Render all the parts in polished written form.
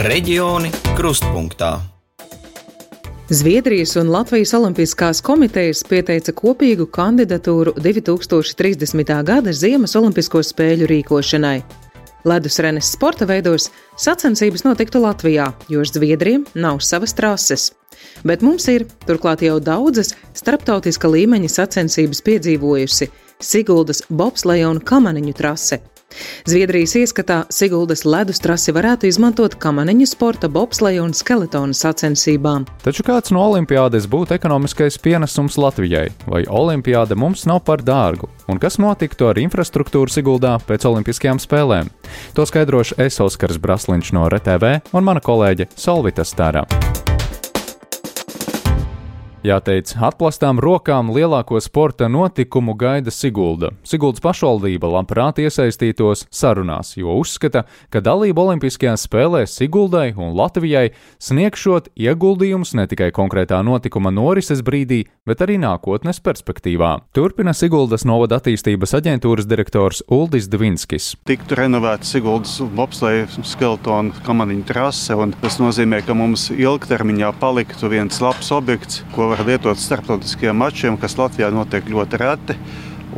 Reģioni krustpunktā. Zviedrijas un Latvijas olimpiskās komitejas pieteica kopīgu kandidatūru 2030. gada Ziemas olimpisko spēļu rīkošanai. Ledus renes sporta veidos sacensības notiktu Latvijā, jo Zviedriem nav savas trases. Bet mums ir, turklāt jau daudzas starptautiska līmeņa sacensības piedzīvojusi Siguldas bobsleja un kamaniņu trase. Zviedrijas ieskatā Siguldas ledus trasi varētu izmantot kamaniņu sporta, bobsleja un skeletona sacensībām. Taču kāds no olimpiādes būtu ekonomiskais pienesums Latvijai? Vai olimpiāde mums nav par dārgu? Un kas notiktu ar infrastruktūru Siguldā pēc olimpiskajām spēlēm? To skaidrošu es, Oskars Brasliņš no RTV un mana kolēģe Solvita Stārā. Jāteic, atplastām rokām lielāko sporta notikumu gaida Sigulda. Siguldas pašvaldība labprāt iesaistītos sarunās, jo uzskata, ka dalība olimpiskajās spēlēs Siguldai un Latvijai sniegšot ieguldījumus ne tikai konkrētā notikuma norises brīdī, bet arī nākotnes perspektīvā. Turpina Siguldas novada attīstības aģentūras direktors Uldis Dvinskis. Tiktu renovēta Siguldas bobsleja, skeletona, kamaniņu trase, un tas nozīmē, ka mums ilgtermiņā paliktu viens labs objekts, ko var lietot starptautiskajiem mačiem, kas Latvijā notiek ļoti reti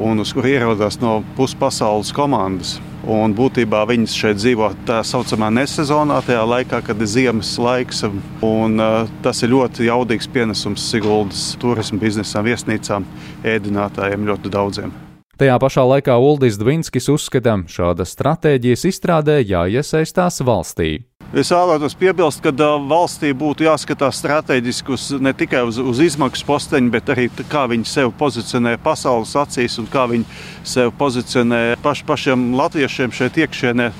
un uz kur ierodās no puspasaules komandas. Un būtībā viņas šeit dzīvo tā saucamā nesezonā, tajā laikā, kad ir ziemas laiks, un tas ir ļoti jaudīgs pienesums Siguldas turismu biznesam, viesnīcām, ēdinātājiem ļoti daudziem. Tajā pašā laikā Uldis Dvinskis uzskata, šāda stratēģijas izstrādē jāiesaistās valstī. Es vēlētos piebilst, ka valstī būtu jāskatās strateģiski ne tikai uz izmaksu posteņu, bet arī kā viņi sevi pozicionē pasaules acīs un kā viņi sevi pozicionē pašiem latviešiem šeit iekšienē.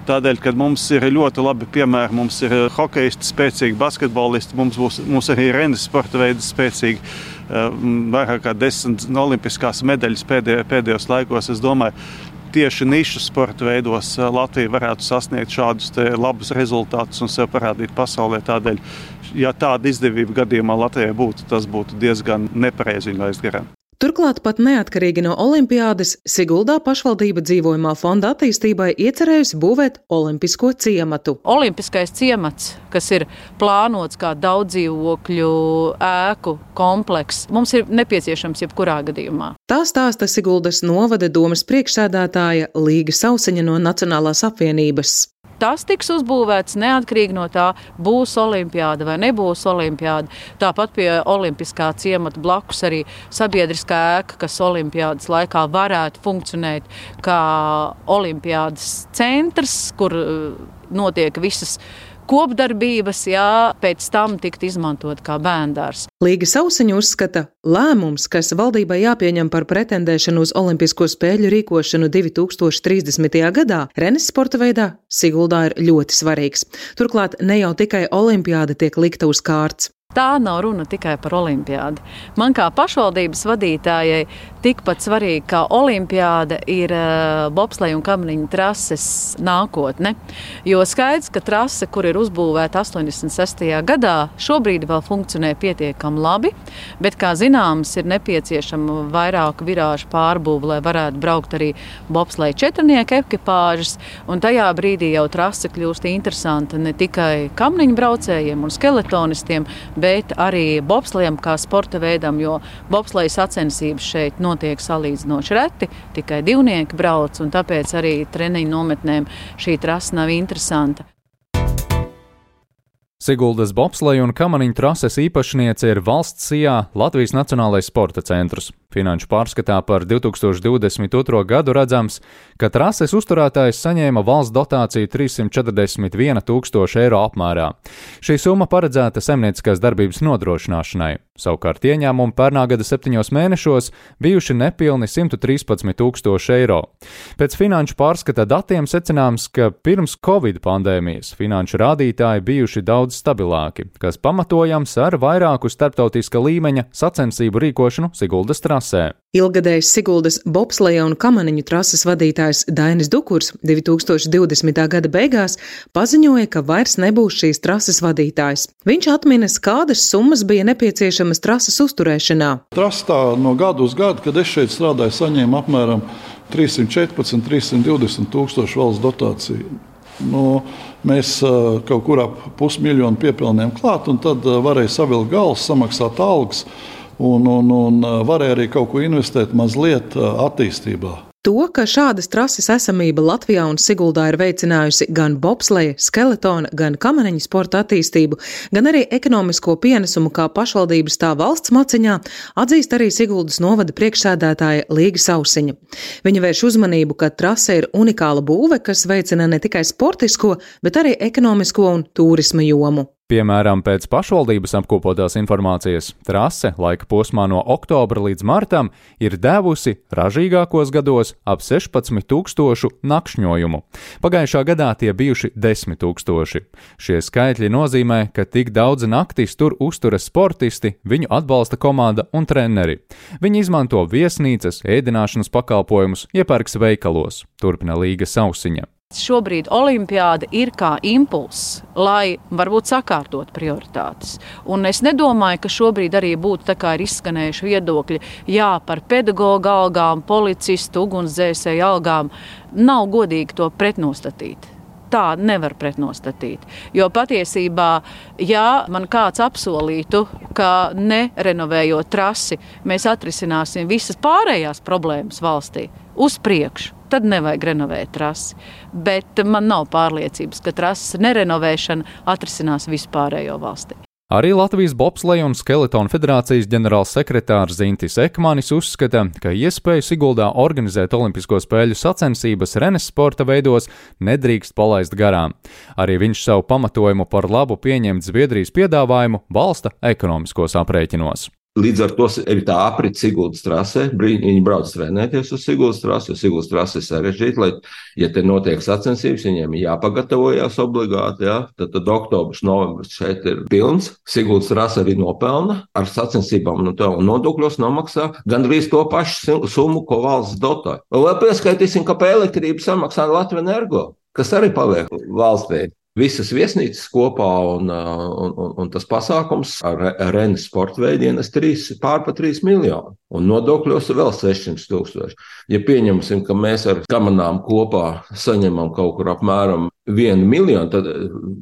Tādēļ, ka mums ir ļoti labi piemēri, mums ir hokejisti spēcīgi, basketbolisti, mums arī renes sporta veidi spēcīgi, vairāk kā 10 olimpiskās medaļas pēdējos laikos. Es domāju, tieši nišu sporta veidos Latvija varētu sasniegt šādus labus rezultātus un sev parādīt pasaulē. Tādēļ, ja tāda izdevība gadījumā Latvijai būtu, tas būtu diezgan nepareizi viņu laist garām. Turklāt pat neatkarīgi no olimpiādes Siguldā pašvaldība dzīvojamā fonda attīstībai iecerējusi būvēt olimpisko ciematu. Olimpiskais ciemats, kas ir plānots kā daudzdzīvokļu ēku komplekss, mums ir nepieciešams jebkurā gadījumā. Tā stāsta Siguldas novada domes priekšsēdētāja Līga Sauseņa no Nacionālās apvienības. Tas tiks uzbūvēts neatkarīgi no tā, būs olimpiāda vai nebūs olimpiāda. Tāpat pie olimpiskā ciemata blakus arī sabiedriskā ēka, kas olimpiādas laikā varētu funkcionēt kā olimpiādas centrs, kur notiek visas kopdarbības, pēc tam tikt izmantot kā bērndārs. Līga Sauseņa uzskata, lēmums, kas valdībai jāpieņem par pretendēšanu uz olimpisko spēļu rīkošanu 2030. gadā, renes sporta veidā Siguldā ir ļoti svarīgs. Turklāt ne jau tikai olimpiāda tiek likta uz kārts. Tā nav runa tikai par olimpiādu. Man kā pašvaldības vadītājai tikpat svarīgi kā olimpiāda ir bobsleja un kamaniņu trases nākotne. Jo skaidrs, ka trase, kur ir uzbūvēta 86. gadā, šobrīd vēl funkcionē pietiekami labi, bet, kā zināms, ir nepieciešama vairāku virāžu pārbūve, lai varētu braukt arī bobsleja četrnieku ekipāžas, un tajā brīdī jau trase kļūst interesanta ne tikai kamaniņu braucējiem un skeletonistiem, bet arī bobslejam kā sporta veidam, jo bobsleja sacensības šeit notiek salīdzinoši reti, tikai divnieki brauc, un tāpēc arī treniņu nometnēm šī trasa nav interesanta. Siguldas bobsleja un kamaniņu trases īpašniece ir valsts SIA Latvijas Nacionālais sporta centrs. Finanšu pārskatā par 2022. gadu redzams, ka trases uzturētājs saņēma valsts dotāciju 341 000 eiro apmērā. Šī summa paredzēta saimnieciskās darbības nodrošināšanai. Savukārt ieņēmumi pērnā gada 7 mēnešos bijuši nepilni 113 000 eiro. Pēc finanšu pārskata datiem secināms, ka pirms Covid pandēmijas finanšu rādītāji bijuši daudz stabilāki, kas pamatojams ar vairāku starptautiska līmeņa sacensību rīkošanu Siguldas trasē. Ilgadējs Siguldas bobsleja un kamaniņu trases vadītājs Dainis Dukurs 2020. gada beigās paziņoja, ka vairs nebūs šīs trases vadītājs. Viņš atminas, kādas summas bija nepieciešamas trases uzturēšanā. Trastā no gada uz gadu, kad es šeit strādāju, saņēmu apmēram 314–320 000 valsts dotāciju. Mēs kaut kur ap 500 000 piepilnījām klāt, un tad varēja savilkt galus, samaksāt algas un varēja arī kaut ko investēt mazliet attīstībā. To, ka šādas trases esamība Latvijā un Siguldā ir veicinājusi gan bobsleja, skeletona, gan kamaneņa sporta attīstību, gan arī ekonomisko pienesumu kā pašvaldības tā valsts maciņā, atzīst arī Siguldas novada priekšsēdētāja Līga Sausiņa. Viņa vērš uzmanību, ka trase ir unikāla būve, kas veicina ne tikai sportisko, bet arī ekonomisko un tūrisma jomu. Piemēram, pēc pašvaldības apkopotās informācijas, trase laika posmā no oktobra līdz martam ir devusi ražīgākos gados ap 16 000 nakšņojumu. Pagājušā gadā tie bijuši 10 000. Šie skaitļi nozīmē, ka tik daudz naktis tur uzturas sportisti, viņu atbalsta komanda un treneri. Viņi izmanto viesnīcas, ēdināšanas pakalpojumus, iepērks veikalos, turpina Līga Sausiņa. Šobrīd olimpiāda ir kā impulss, lai varbūt sakārtot prioritātes. Un es nedomāju, ka šobrīd arī būtu tā kā ir izskanējuši viedokļi, par pedagoga algām, policistu, ugunsdzēsēju algām. Nav godīgi to pretnostatīt. Tā nevar pretnostatīt. Jo patiesībā, ja man kāds apsolītu, ka nerenovējot trasi, mēs atrisināsim visas pārējās problēmas valstī uz priekšu, tad nevajag renovēt trasi. Bet man nav pārliecības, ka trases nerenovēšana atrisinās vispārējo valstī. Arī Latvijas bobsleja un skeletona federācijas ģenerālsekretārs Zintis Ekmanis uzskata, ka iespēju Siguldā organizēt olimpisko spēļu sacensības renes sporta veidos nedrīkst palaist garām. Arī viņš savu pamatojumu par labu pieņemt Zviedrijas piedāvājumu balsta ekonomiskos aprēķinos. Līdz ar to ir tā aprite Siguldas trasē. Viņi brauc trenēties uz Siguldas trasi, jo Siguldas trase ir sarežģīta, lai, ja te notiek sacensības, viņiem ir jāpagatavojās obligāti, tad oktobrs, novembris šeit ir pilns. Siguldas trase arī nopelna ar sacensībām un nodokļos nomaksā gandrīz to pašu summu, ko valsts dotē. Un vēl pieskaitīsim, ka par elektrību samaksā Latvijas Energo, kas arī paliek valstī. Visas viesnīcas kopā un tas pasākums ar renes sporta veidiem pār 3 miljoni. Un nodokļos vēl 600 000. Ja pieņemsim, ka mēs ar kamanām kopā saņemam kaut kur apmēram 1 miljonu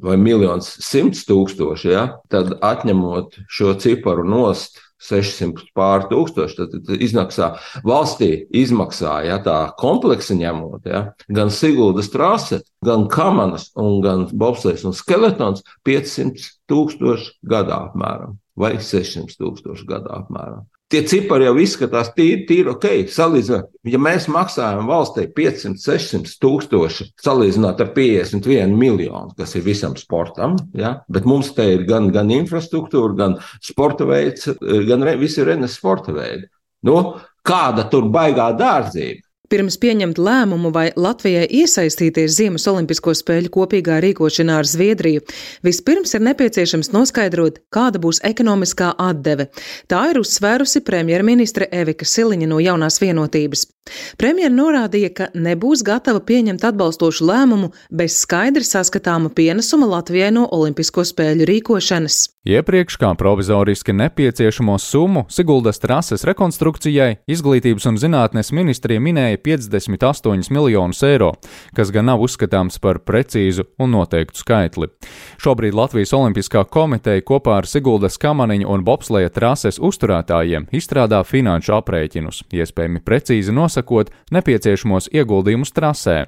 vai 1 100 000, tad atņemot šo ciparu nost 600 pār 1000, tad iznāksā valstī izmaksā, tā kompleksi ņemot, gan Siguldas trase, gan kamanas un gan bobslejs un skeletons 500 000 gadā apmēram vai 600 000 gadā apmēram. Tie cipari jau izskatās tīri ok. Salīdzināt, ja mēs maksājam valstī 500-600 000, salīdzināt ar 51 miljonu, kas ir visam sportam, bet mums te ir gan infrastruktūra, gan sporta veids, gan visi renes sporta veidi. Kāda tur baigā dārdzība? Pirms pieņemt lēmumu, vai Latvijai iesaistīties Ziemas olimpisko spēļu kopīgā rīkošanā ar Zviedriju, vispirms ir nepieciešams noskaidrot, kāda būs ekonomiskā atdeve. Tā ir uzsvērusi premjerministre Evika Siliņa no Jaunās vienotības. Premjera norādīja, ka nebūs gatava pieņemt atbalstošu lēmumu bez skaidri saskatāma pienesuma Latvijai no olimpisko spēļu rīkošanas. Iepriekš kā provizoriski nepieciešamo summu Siguldas trases rekonstrukcijai Izglītības un zinātnes ministrija minēja 58 miljonus eiro, kas gan nav uzskatāms par precīzu un noteiktu skaitli. Šobrīd Latvijas Olimpiskā komiteja kopā ar Siguldas kamaneņa un bobsleja trases uzturētājiem izstrādā finanšu aprēķinus, iespējami precīzi nosakot nepieciešamos ieguldījumus trasē.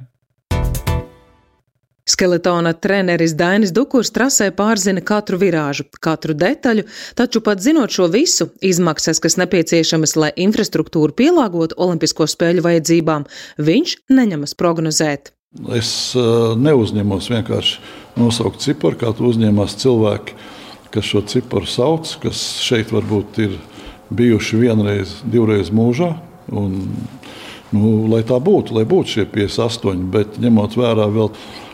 Skeletona treneris Dainis Dukurs trasē pārzina katru virāžu, katru detaļu, taču pat zinot šo visu, izmaksas, kas nepieciešamas, lai infrastruktūru pielāgotu olimpisko spēļu vajadzībām, viņš neņemas prognozēt. Es neuzņemos vienkārši nosaukt ciparu, kā to uzņēmās cilvēki, kas šo ciparu sauc, kas šeit varbūt ir bijuši vienreiz, divreiz mūžā. Un, lai tā būtu, lai būtu šie 58, bet ņemot vērā vēl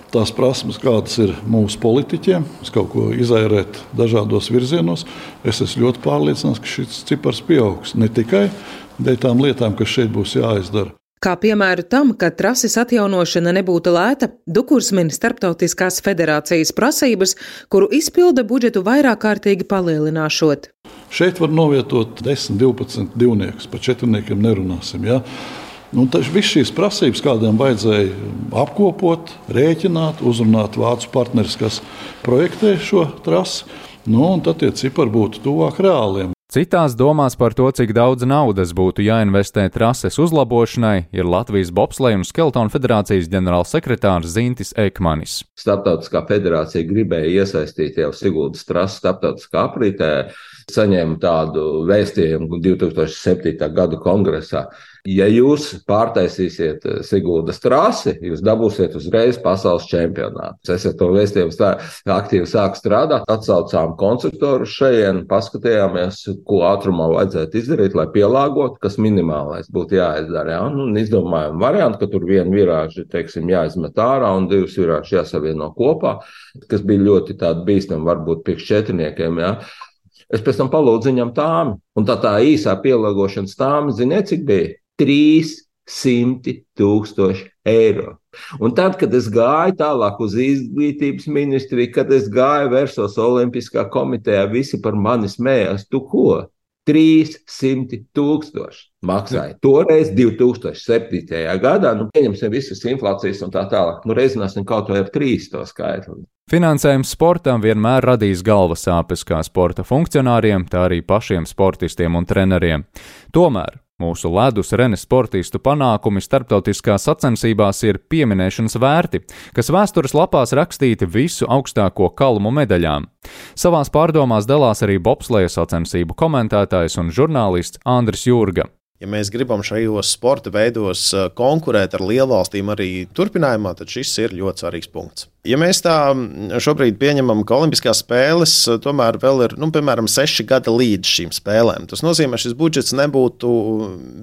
tās prasmes, kādas ir mūsu politiķiem, kaut ko izairēt dažādos virzienos, es esmu ļoti pārliecināts, ka šis cipars pieaugs ne tikai dēļ tām lietām, kas šeit būs jāizdara. Kā piemēru tam, ka trases atjaunošana nebūtu lēta, Dukurs min starptautiskās federācijas prasības, kuru izpilda budžetu vairāk kārtīgi palielināšot. Šeit var novietot 10-12 divniekus, par četrniekiem nerunāsim. Viss šīs prasības kādiem vajadzēja apkopot, rēķināt, uzrunāt vācu partneris, kas projektē šo trasi. Un tad tie cipari būtu tuvāk reāliem. Citās domās par to, cik daudz naudas būtu jāinvestē trases uzlabošanai, ir Latvijas Bobsleja un Skeletonu federācijas ģenerālsekretārs Zintis Ekmanis. Starptautiskā federācija gribēja iesaistīt jau Siguldas trasi starptautiskā aprītē, saņēma tādu vēstījumu 2007. gada kongresā. Ja jūs pārtaisīsiet Siguldas trasi, jūs dabūsiet uzreiz pasaules čempionātu. Es ar to vēstījumu aktīvi sāku strādāt, atsaucām konstruktoru šajien, paskatījāmies, ko ātrumā vajadzētu izdarīt, lai pielāgotu, kas minimālais būtu jāizdara. Izdomājām variantu, ka tur vienu virāžu, jāizmet ārā un divas virāžu jāsavieno kopā, kas bija ļoti tādi bīstami, varbūt priekš četrniekiem. Es pēc tam palūdzu viņam tāmi, un tā īsā pielāgošanas tāmi, ziniet, cik bija? 300,000 eiro. Un tad, kad es gāju tālāk uz izglītības ministriju, kad es gāju vērsos Olimpiskā komitejā, visi par mani smējās, tu ko? 300,000 maksāja. Toreiz 2007. gadā, pieņemsim visas inflācijas un tā tālāk, reizināsim kaut vai ar 3 to skaitli. Finansējums sportam vienmēr radīs galvas sāpes kā sporta funkcionāriem, tā arī pašiem sportistiem un treneriem. Tomēr mūsu ledus renes sportistu panākumi starptautiskās sacensībās ir pieminēšanas vērti, kas vēstures lapās rakstīti visu augstāko kalmu medaļām. Savās pārdomās dalās arī bobsleja sacensību komentētājs un žurnālists Andris Jurga. Ja mēs gribam šajos sporta veidos konkurēt ar lielvalstīm arī turpinājumā, tad šis ir ļoti svarīgs punkts. Ja mēs tā šobrīd pieņemam, ka Olimpiskās spēles tomēr vēl ir, piemēram, 6 gadi līdz šīm spēlēm, tas nozīmē, ka šis budžets nebūtu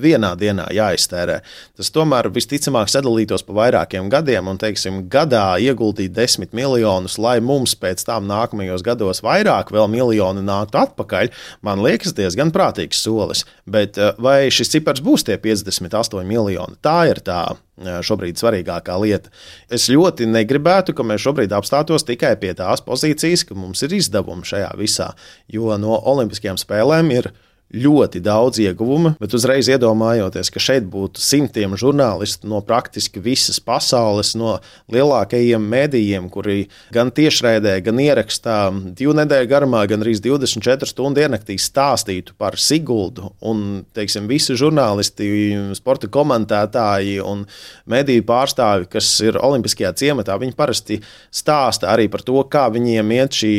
vienā dienā jāiztērē. Tas tomēr visticamāk sadalītos pa vairākiem gadiem un, gadā ieguldīt 10 miljonus, lai mums pēc tam nākamajos gados vairāk vēl miljoni nāktu atpakaļ, man liekas diezgan prātīgs solis. Bet vai šis cipars būs tie 58 miljoni? Tā ir tā šobrīd svarīgākā lieta. Es ļoti negribētu, ka mēs šobrīd apstātos tikai pie tās pozīcijas, ka mums ir izdevumi šajā visā, jo no Olimpiskajām spēlēm ir ļoti daudz ieguvumu, bet uzreiz iedomājoties, ka šeit būtu simtiem žurnālistu no praktiski visas pasaules, no lielākajiem mēdījiem, kuri gan tiešraidē, gan ierakstā 2 nedēļu garumā, gan arī 24 stundu ienaktī stāstītu par Siguldu, un, visi žurnālisti, sporta komentētāji un mēdīju pārstāvi, kas ir Olimpiskajā ciematā, viņi parasti stāsta arī par to, kā viņiem iet šī,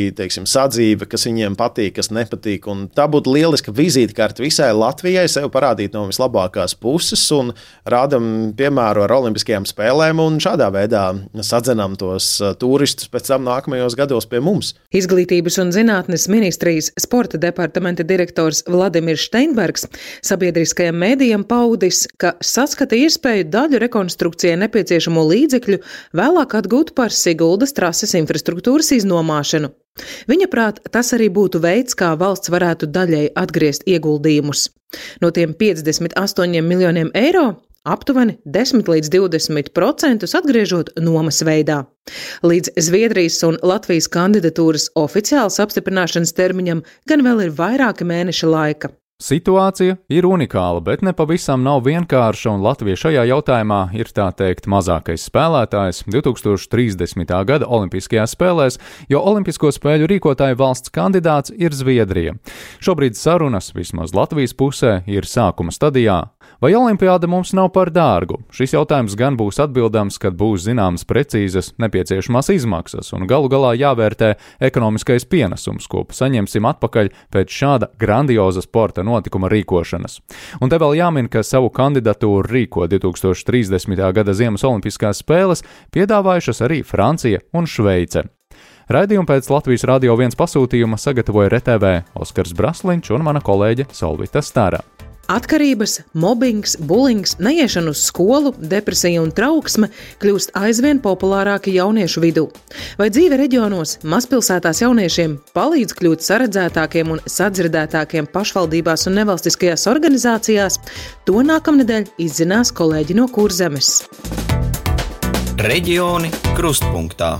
sadzīve, kas viņiem patīk, kas nepatīk, un tā būtu lieliska vizīte vizītkārti visai Latvijai, sev parādīt no vislabākās puses un rādam piemēru ar Olimpiskajām spēlēm un šādā veidā sadzenam tos turistus pēc tam nākamajos gados pie mums. Izglītības un zinātnes ministrijas sporta departamenta direktors Vladimirs Steinbergs sabiedriskajam mēdījam paudis, ka saskata iespēju daļu rekonstrukcijai nepieciešamo līdzekļu vēlāk atgūt par Siguldas trases infrastruktūras iznomāšanu. Viņa prāt, tas arī būtu veids, kā valsts varētu daļēji atgriezt ieguldījumus. No tiem 58 miljoniem eiro aptuveni 10 līdz 20% atgriežot nomas veidā. Līdz Zviedrijas un Latvijas kandidatūras oficiālas apstiprināšanas termiņam gan vēl ir vairāki mēneši laika. Situācija ir unikāla, bet ne pavisam nav vienkārša, un Latvija šajā jautājumā ir tā teikt mazākais spēlētājs 2030. gada Olimpiskajās spēlēs, jo Olimpisko spēļu rīkotāju valsts kandidāts ir Zviedrija. Šobrīd sarunas, vismaz Latvijas pusē, ir sākuma stadijā. Vai olimpiāda mums nav par dārgu? Šis jautājums gan būs atbildams, kad būs zināmas precīzas nepieciešamās izmaksas un galu galā jāvērtē ekonomiskais pienesums, ko saņemsim atpakaļ pēc šāda grandioza sporta notikuma rīkošanas. Un te vēl jāmin, ka savu kandidatūru rīko 2030. gada Ziemas Olimpiskās spēles piedāvājušas arī Francija un Šveice. Raidījumu pēc Latvijas Radio 1 pasūtījuma sagatavoja RTV Oskars Brasliņš un mana kolēģe Solvita Stara. Atkarības, mobbings, bulings, neiešana uz skolu, depresija un trauksme kļūst aizvien populārāki jauniešu vidū. Vai dzīve reģionos, mazpilsētās jauniešiem palīdz kļūt saredzētākiem un sadzirdētākiem pašvaldībās un nevalstiskajās organizācijās? To nākamnedēļ izzinās kolēģi no Kurzemes. Reģioni krustpunktā.